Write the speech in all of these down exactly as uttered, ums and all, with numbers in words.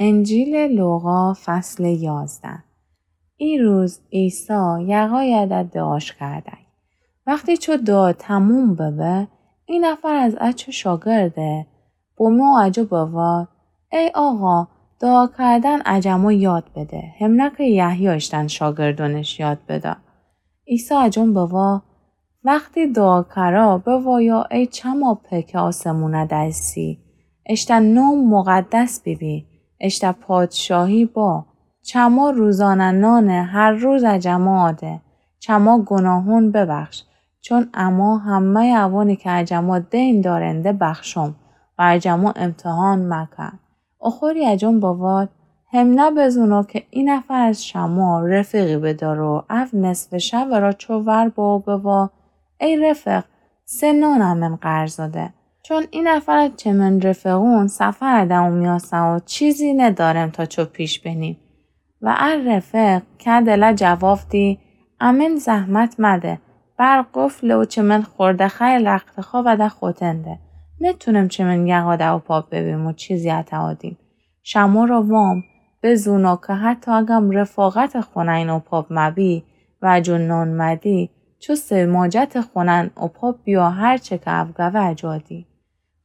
انجیل لوقا، فصل یازده. ای روز عیسی یقایَ دعاش کردأی. وختی چو دعا تموم ببه، ای نفر از ا چو شاگرده بومو ا جا بوارد: ای آقا، دعا کردن ا جمع یاد بده، همنه که یحیی اشتن شاگردونش یاد بده. عیسی ا جون بوارد: وختی دعا کرا بوایه: ای چماپه که آسمونَ دأیسی، اشتأ نوم مقدس بیبی، اشتأ پادشاهی با، چما روزانه نانٚ هر روز ا جمع آده، چما گوناهون ببخش، چون اما همه‌یٚ اوانی که ا جمع دین دأرنده بخشم و ا جمع امتحان مکن. اخوری ا جون بوارد: همنه بزونو که ای نفر از شما رفیقی بدأره، او نصفٚ شبٚ را چو ور بو بوارد: ای رفیق، سه نانٚ من قرض ده. چون ای نفر از چمن رفیقون سفرَ دأمو میأسه و چیزی ندأرم تا چو پیش بنیم. و ا رفیق که دلَ جواب دی: امن زحمت مده، بر قفله و چمن خورده خیر رختخوابَ ده خوتن ده. نتونم چمن یقا ده اوپاب ببیم و چیزی اطا آدیم. شمو را وام، بزونو که حتی اگم رفاقتٚ خونه‌یین اوپاب مبی و ا جون نان مدی، چو سه ماجتٚ خونه‌یین اوپاب بیا، هر چه که او گوه ا جا آدی.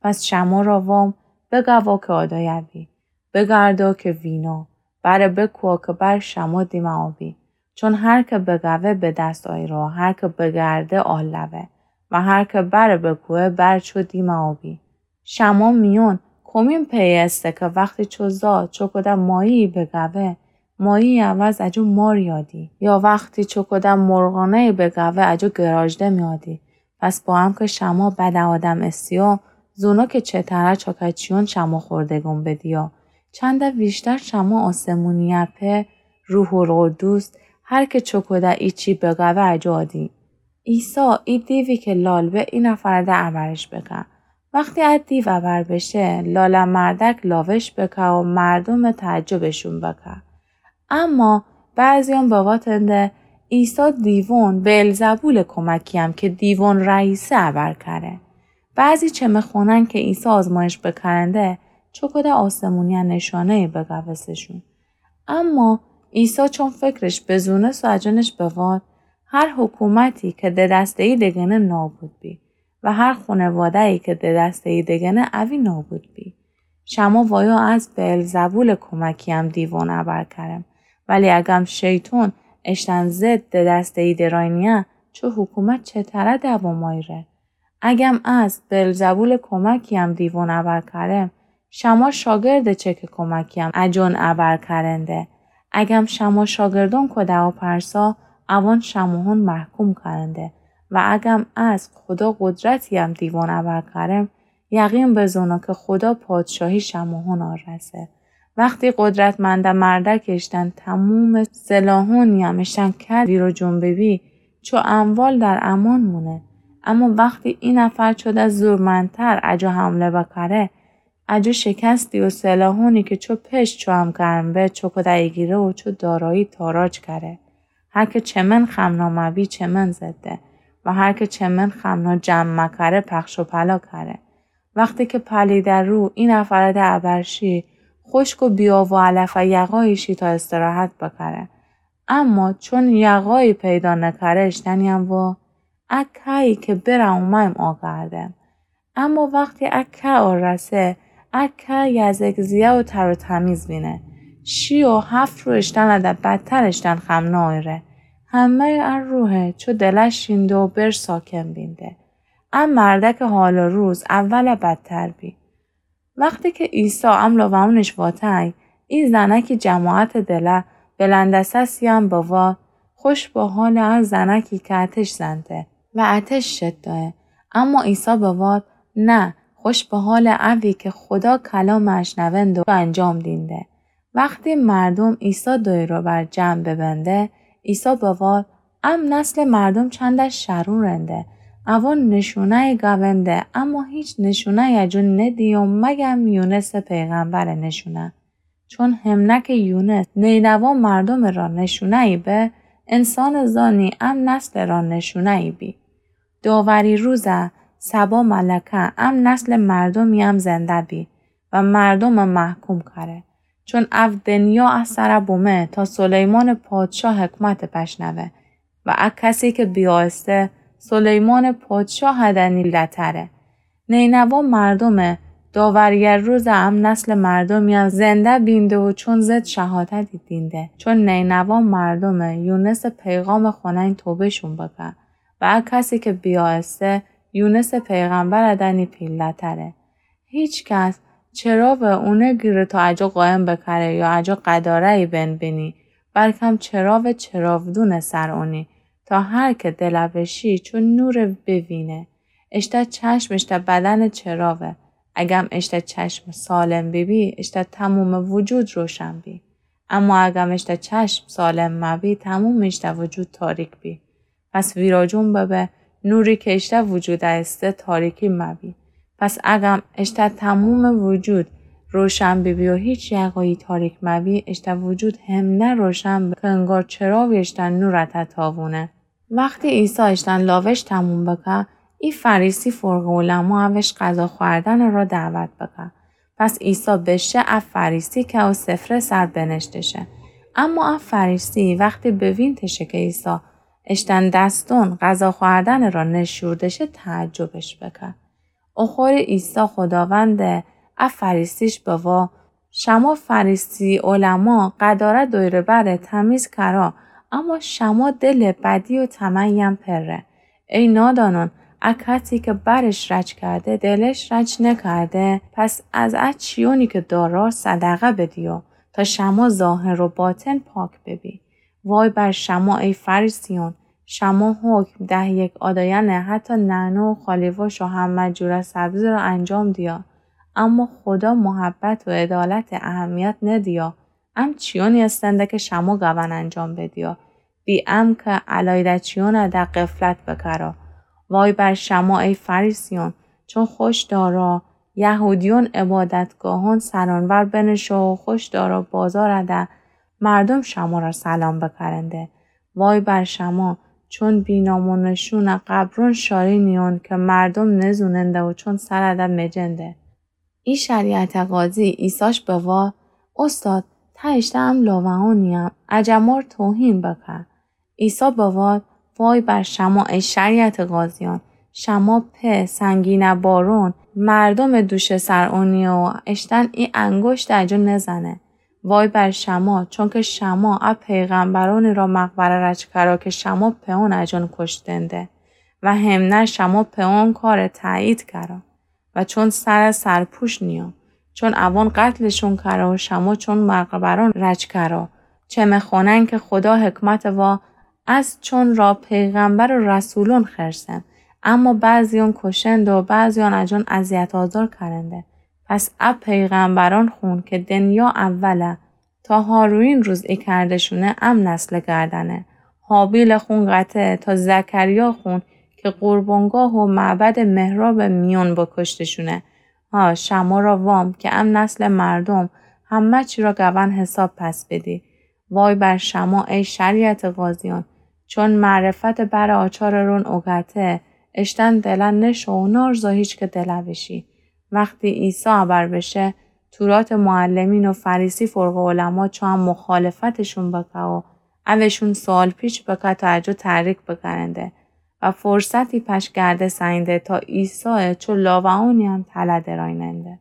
پس شمو را وام، بگوا که آدایه بی. بگردا که وینا، بر بکوا که بر شمو دیمه آبی. چون هر که بگوه به دست آیره، هر که بگرده آلوه و هر که بر بکوه بر چو دیمه آبی. شمو میون کومین پئیه ایسه که وختی چو زا چوکوده ماهی‌یی بگوه، ماهی‌یی عوض ا جون ماری آدی، یا وختی چوکوده مرغانه‌یی بگوه ا جون گراژده میادی؟ پس با ا که شمو بدٚ آدم ایسیو، زونو که چه‌تره چاکچیون شمو خوردگون بدیا. چندَ ویشتر شمو آسمونی‌یه پئر، روح‌القدوس، هر که چوکوده ایچی بگوه ا جا آدی. عیسی ای دیوی که لال به ای نفر ده ابرش بکه. وختی ا دیو ابر بشه، لالٚ مردک لاوش بکه و مردوم تعجبشون بکه. اما بعضیون بواتنده: عیسی دیوون بئلزبولٚ کمکی‌یم که دیوون رئیسه ابر کره. بعضی چمه خونن که عیسی آزمایش بکرنده، چوکوده آسمونی‌یه نشانه‌یی بگوستشون. اما عیسی چون فکرش بزونست و ا جونش بوارد: هر حکومتی که ددسته‌یی دگنه نابود بی و هر خونواده‌یی که ددسته‌یی دگنه اوی نابود بی. شمو وایو از بئلزبولٚ کمکی‌یم دیوون ابر کرم، ولی اگم شیطون اشتن ضد ددسته‌یی درای نیه، چو حکومت چه‌تره دوام آیره؟ اگم از بئلزبولٚ کمکی‌یم دیوون ابر کرم، شمو شاگردٚ چه که کمکی‌یم ا جون ابر کرنده؟ اگم شمو شاگردون کوده‌یو پرسا، اوان شموهون محکوم کرنده. و اگم از خودا قدرتی‌یم دیوون ابر کرم، یقین بزونو که خودا پادشاهی شموهون آرسه. وختی قدرتمندٚ مردک اشتن تومومٚ سلاحونی‌یم اشتن کد ویرو جون ببی، چو اموال در امان مونه. اما وختی ای نفر چو ده زورمندتر ا جا حمله بکره، ا جا شکستی و سلاحونی که چو پشت چو هم گرم به، چوکوده ایگیره و چو دارایی تاراج کره. هر که چمن خمنا مبی، چمن زده و هر که چمن خمنا جمع مکره، پخش و پلا کره. وختی که پلیدٚ روح ای نفر ده ابر شی، خشک و بی‌آب و علفٚ یقایی شی تا استراحت بکره. اما چون یقایی پیدا نکره، اشتنی‌یم وا: ا که‌یی که بره اومه‌ییم آگردم. اما وختی ا که آرسه، ا که یزک زیه و تر و تمیز بینه. شی و هفت روز اشتنٚ ده بدتر اشتن خمنا آیره. همه‌یٚ ا روحه چو دلش شینده و بر ساکن بینده. ا مردکٚ حال و روز اول بدتر بی. وختی که عیسی املو و اونش واتای، ای زنکی جماعتٚ دله بلندٚ سسی‌یم بوا: خوش به حالٚ ا زنکی که اتش زنده و اتش شد دایه. اما عیسی بوارد: نه، خوش به حالٚ اوی که خودا کلامٚ اشنونده و انجام دینده. وختی مردوم عیسی دایرٚ بر جمع ببنده، عیسی بوارد: ام نسلٚ مردوم چندش شرورنده. اوان نشونه‌یی گونده، اما هیچ نشونه‌یی ا جون ندیو مگم یونسٚ پیغمبرٚ نشونه. چون همنه که یونس نینوا مردومٚ را نشونه‌یی به، انسانٚ زانی ام نسلٚ را نشونه‌یی بی. داوری روزه سبا ملکه ام نسلٚ مردومی‌یم زنده بی و مردومه محکوم کره. چون او دنیا ا سر بومه تا سلیمانٚ پادشاه حکمت بشنوه و ا کسی که بیایسته سلیمانٚ پادشاه دنی لتره. نینوا مردومه داوری روز ام نسلٚ مردومی زنده بینده و چون زد شهادتی دینده. چون نینوا مردومه یونسٚ پیغامٚ خونین توبه‌شون بکه و ا کسی که بیایسته یونسٚ پیغمبر دنی پیله‌تره. هیچ کس چراوه اونه گیره تا اجا قایم بکره یا اجا قداره‌یی بنبینی، بلکم چراوه چراودونٚ سر اونی، تا هر که دل بشی چون نوره بوینه. اشته چشم اشته بدنٚ چراوه. اگم اشته چشم سالم بیبی، اشته تمومٚ وجود روشن بی. اما اگم اشته چشم سالم مبی، تمومٚ اشته وجود تاریک بی. پس ویراجون ببه، نوری که اشته وجود ایسته تاریکی مبی. پس اگم اشته تمومٚ وجود روشن بیبی و هیچ یقه‌یی تاریک مبی، اشته وجود همنه روشن به که انگار چراوی اشته نور اته تاوونه. وختی عیسی اشتن لاوش تموم بکه، ای فریسی فرقه علما اوش غذا خوردنٚ را دعوت بکه. پس عیسی بشه ا فریسی که او سفره سر بنشته شه. اما ا فریسی وختی بوینته شه که عیسی اشتن دستون غذا خوردنٚ را نشورده شه، تعجبش بکه. اوخوری عیسی خداوند ا فریسیش بوا، شما فریسی علما قداره دویرٚ بره تمیز کرا، اما شما دلٚ بدی و طمعیم پره. ای نادانان، ا کسی که برش رج کرده، دلش رج نکرده، پس از ا چیونی که دارا صدقه بدیو، تا شما ظاهر و باطن پاک ببی. وای بر شما ای فریسیون، شما حکم ده یک آداینه حتی نعنا و خالیواش و همه جوره سبزی را انجام دیا، اما خدا محبت و عدالت اهمیت ندیا. ام چیونی استنده که شما گون انجام بدیا، بی ام که الایده چیونه ده غفلت بکرا. وای بر شما ای فریسیون، چون خوش دارا یهودیون عبادتگاهون سرانور بنشو و خوش دارا بازار ده مردم شما را سلام بکرنده. وای بر شما، چون بینام و نشون قبرون شارینیون که مردم نزوننده و چون سر ده مجنده. ای شریعت قاضی عیساش بوا، استاد، ته اشته ام لاوه‌انیم، اجه مار توهین بکه. عیسی بوا، وای بر شما ای شریعت قاضیان، شما په سنگینه بارون مردم دوشه سر اونی و اشتن ای انگشت اجو نزنه. وای بر شما، چونکه شما ا پیغمبرانی را مقبره رج کرا که شما په اون اجون کشتنده و همنه شما په اون کار تأیید کرا. و چون سر سرپوش نیان، چون اوان قتلشون کرا و شما چون مقبران رج کرا. چمه خوانن که خدا حکمت وا از چون را پیغمبر و رسولون خرسن، اما بعضیان کشند و بعضیان اجان اذیت آزار کرنده. پس ا پیغمبران خون که دنیا اوله تا هاروین روز ای کردشونه ام نسل گردنه. هابیل خون قطعه تا زکریا خون که قربانگاه و معبد محراب میون بکشتشونه. ها، شما را وام که ام نسل مردم همه چی را گون حساب پس بدی. وای بر شما ای شریعت قاضیان، چون معرفت بر آچار رون اوگته، اشتن دلن نشو و نارزا هیچ که دل بشی. وقتی عیسی ابر بشه، تورات معلمین و فریسی فرقه علما چو ام مخالفتشون بکه و اوشون سوال پیچ بکه تا اجو تحریک بکرنده و فرصتی پش گرده سنده تا عیسی چو لاوه‌انیان تله درایننده.